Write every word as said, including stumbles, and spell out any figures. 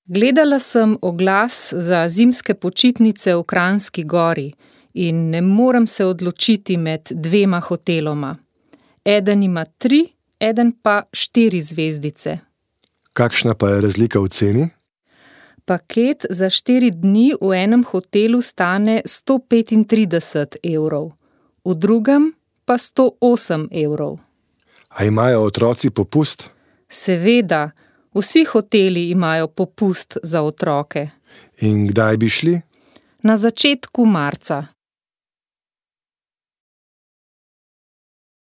Gledala sem oglas za zimske počitnice v Kranjski Gori in ne morem se odločiti med dvema hoteloma. Eden ima tri, eden pa štiri zvezdice. Kakšna pa je razlika v ceni? Paket za štiri dni v enem hotelu stane sto petintrideset evrov, v drugem pa sto osem evrov. A imajo otroci popust? Seveda, vsi hoteli imajo popust za otroke. In kdaj bi šli? Na začetku marca.